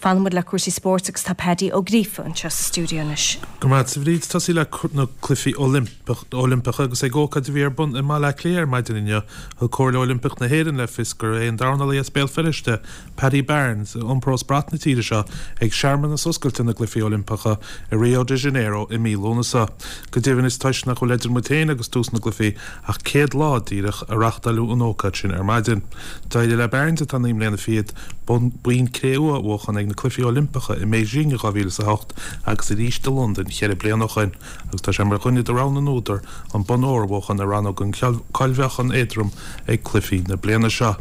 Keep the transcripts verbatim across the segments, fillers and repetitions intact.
Fanfaimid le cúrsaí spóirt agus tá Paddy Ó Gríofa anseo sa stiúideo anois. Go maith a Bhríd tosaí le na cluichí Oilimpeacha agus ag ócáid a bhí ar bun i mBaile Átha Cliath ar maidin inniu thug Comhairle Oilimpeach na hÉireann le fios gur é an dornálaí as Béal Feirste Paddy Barnes a iompródh brat na tíre seo ag searmanas oscailte na gCluichí Oilimpeacha i Rio de Janeiro i mí Lúnasa. Go deimhin is toisc nach bhfuil idir muid féin agus tús na gcluichí ach céad lá díreach a reáchtáladh an ócáid sin ar maidin. D'éirigh le Barnes atá naoi mbliana fichead bonn cré-umha a bhuachan ag na Cluichí Oilimpeacha i mBeijing i dhá mhíle is a hocht agus arís i Londain ceithre bliana ó shin, agus tá sé mar dhuine de rogha na n-údar an bonn óir a bhuachan i rannóg an cháilmheáchan éadrom ag cluichí na bliana seo.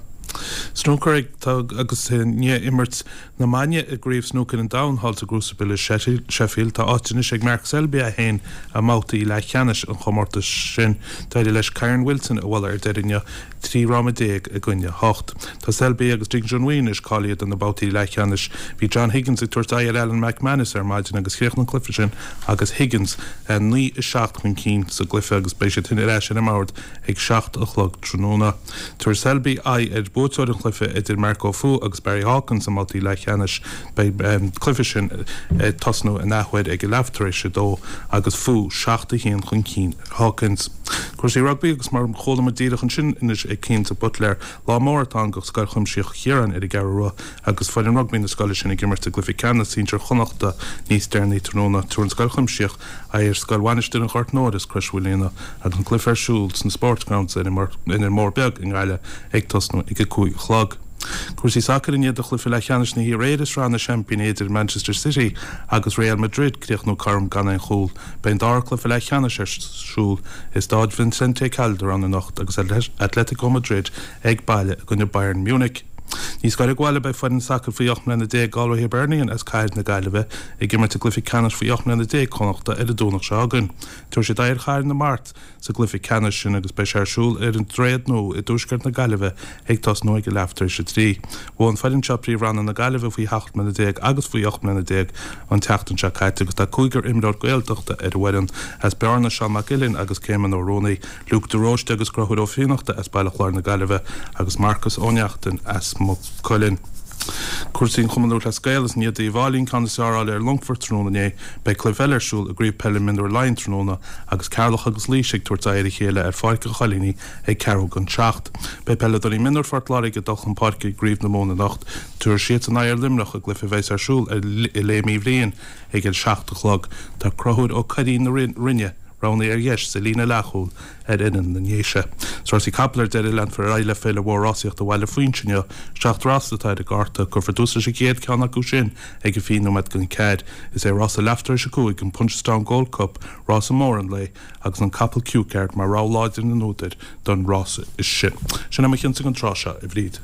Snúcar ag agus i ndiaidh imirt na maidine i gCraobh Snúcair an Domhain thall sa gCrucible i Sheffield tá áit anois ag Mark Selby é féin i mbabhtaí leathcheannais an chomórtais sin. D'éirigh leis Kyren Wilson a bhualadh ar deireadh inniu trí fhráma déag i gcoinne hocht. Tá Selby agus Ding Junhui anois cáilithe do na babhtaí leathcheannais. Bhí John Higgins ag tabhairt aghaidh ar Alan McManus ar maidin agus chríochnaigh an cluiche sin agus Higgins naoi a seacht chun cinn sa gcluiche agus beidh siad sin ar ais ar an mbord ag seacht a chlog tráthnóna. Tabharfaidh Selby aghaidh ar bhuaiteoir an chluiche idir Marco Fu agus Barry Hawkins i mbabhtaí leathcheannais. Beidh an cluiche sin ag tosnú in athuair ag a leath tar éis a dó agus Fu seacht a haon chun cinn ar Hawkins. Cúrsaí rugbaí agus mar a chuala muid díreach ansin anois ag Cian de Buitléar, lá mór atá ann do Scoil Chuimsitheach Chiaráin ar an gCeathrú Rua agus foireann rugbaí na scoile sin ag imirt i gcluiche ceannais sinsir Chonnachta níos deireanaí tráthnóna. Tabharfaidh an Scoil Chuimsitheach aghaidh ar Scoil Mhainistir an Ghoirt Mhóir as Crois Mhaoilíona agus an cluiche ar siúl sna Sportsgrounds ar an mBóthar Beag i nGaillimh ag tosnú ag a cúig a chlog. Cúrsaí sacair i ndiaidh do chluiche leathcheannais na hIar-Éire i Sraith na Seaimpíní idir Manchester City agus Real Madrid críochnú cothrom gan aon chúl. Beidh an dara cluiche leathcheannais ar siúl i Staid Vicente Calderon anocht agus Atletico Madrid ag baile i gcoinne Bayern Munich. Níos gaire don bhaile beidh foireann sacair faoi ocht mbliana déag Galway Hibernian as cathair na Gaillimhe ag imirt i gcluiche ceannais faoi ocht mbliana déag Chonnachta ar an Domhnach seo chugainn. Tabharfaidh siad aghaidh ar Chathair na Mart sa gcluiche ceannais sin agus beidh sé ar siúl ar an Droichead Nua i dtuaisceart na Gaillimhe ag tosnú ag a leath tar éis a trí. Bhuaigh an foireann seo Príomhroinn na Gaillimhe faoi sheacht mbliana déag agus faoi ocht mbliana déag an tseachtain seo caite agus tá cúigear imreoir Gaeltachta ar an bhfoireann, as Bearna, Seán Mac Uilinn agus Céimean Ó Ruanaí, Luke de Róiste agus Conchúr Ó Fiannachta as Baile Chláir na Gaillimhe agus Marcus Ó Neachtain as Maigh Cuilinn. Cúrsaí an Chumann Lúthchleas Gael is i ndiaidh d'Uíbh Fhailí an ceann is fearr a fháil ar Longfort tráthnóna inné, beidh cluiche eile ar siúl i gCraobh Peile Mionúir Laighean tráthnóna agus Ceatharlach agus Laois ag tabhairt aghaidh ar a chéile ar Pháirc an Choilínigh ag ceathrú don seacht. Beidh peileadóirí mionúir Phort Láirge ag dul chun páirce i gCraobh na Mumhan anocht. Tabharfaidh siadsan aghaidh ar Luimneach i gcluiche a bheas ar siúl i Léim Uí Bhriain ag a seacht a chlog. Tá Conchúr Ó Curraoin na Rinne roghnaithe ar dheis sa líne leathchúil ar fhoireann na nDéise. Is rásaí capall ar deireadh, leanfar ar aghaidh le Féile Mhór Rásaíochta Bhaile Phuins inniu. Seacht rás atá ar an gcárta. Cuirfear tús leis an gcéad cheann acu sin ag a fiche nóiméad don ceathair. Is é rása leath tar éis a cúig, an Punchestown Gold Cup, rása mór an lae agus an capall Cue Card mar rogha láidir na n-údar don rása sin. Sin é mo chinnse don tráth seo, a Bhríd.